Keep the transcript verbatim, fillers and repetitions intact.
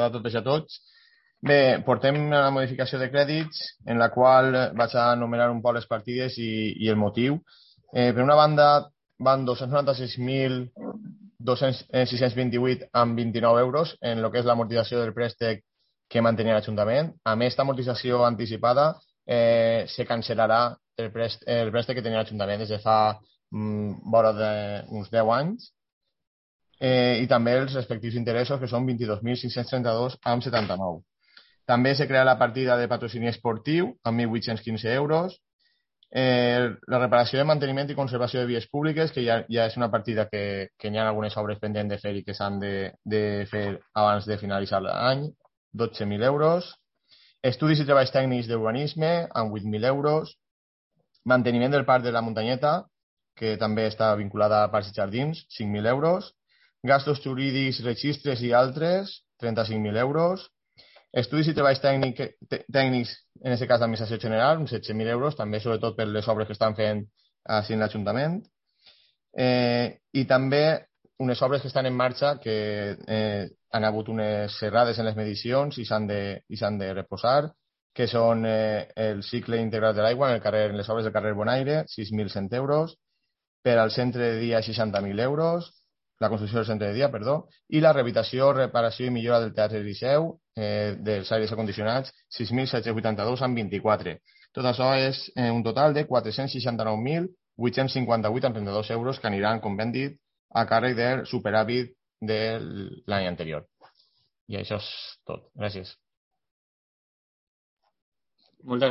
a totes i a tots. Bé, portem una modificació de crèdits en la qual vaig a enumerar un poc les partides i, i el motiu. Eh, per una banda, van dos-cents noranta-sis mil sis-cents vint-i-vuit amb vint-i-nou euros en el que és l'amortització del préstec que mantenia l'Ajuntament. A més, esta amortització anticipada eh, se cancel·larà el préstec, el préstec que tenia l'Ajuntament des de fa mm, vora d'uns deu anys. Eh, I també els respectius interessos, que són vint-i-dos mil cinc-cents trenta-dos amb setanta-nou. També se crea la partida de patrocini esportiu amb mil vuit-cents quinze euros. Eh, la reparació de manteniment i conservació de vies públiques, que ja, ja és una partida que, que hi ha algunes obres pendents de fer i que s'han de, de fer abans de finalitzar l'any, dotze mil euros. Estudis i treballs tècnics d'urbanisme amb vuit mil euros. Manteniment del parc de la Muntanyeta, que també està vinculada a parcs i jardins, cinc mil euros. Gastos jurídics, registres i altres, trenta-cinc mil euros. Estudis i treballs tècnic, tècnics, en aquest cas l'administració general, uns setze mil euros, també sobretot per les obres que estan fent així en l'Ajuntament. Eh, I també unes obres que estan en marxa que eh, han hagut unes serrades en les medicions i s'han de, i s'han de reposar, que són eh, el cicle integral de l'aigua en, el carrer, en les obres del carrer Bonaire, sis mil cent euros, per al centre de dia seixanta mil euros, la construcció del centre de dia, perdó, i la rehabilitació, reparació i millora del Teatre Liceu, eh, dels aires acondicionats, sis mil set-cents vuitanta-dos amb vint-i-quatre. Tot això és eh, un total de quatre-cents seixanta-nou mil vuit-cents cinquanta-vuit amb trenta-dos euros que aniran, com ben dit, a càrrec del superàvit de l'any anterior. I això és tot. Gràcies. Moltes gràcies.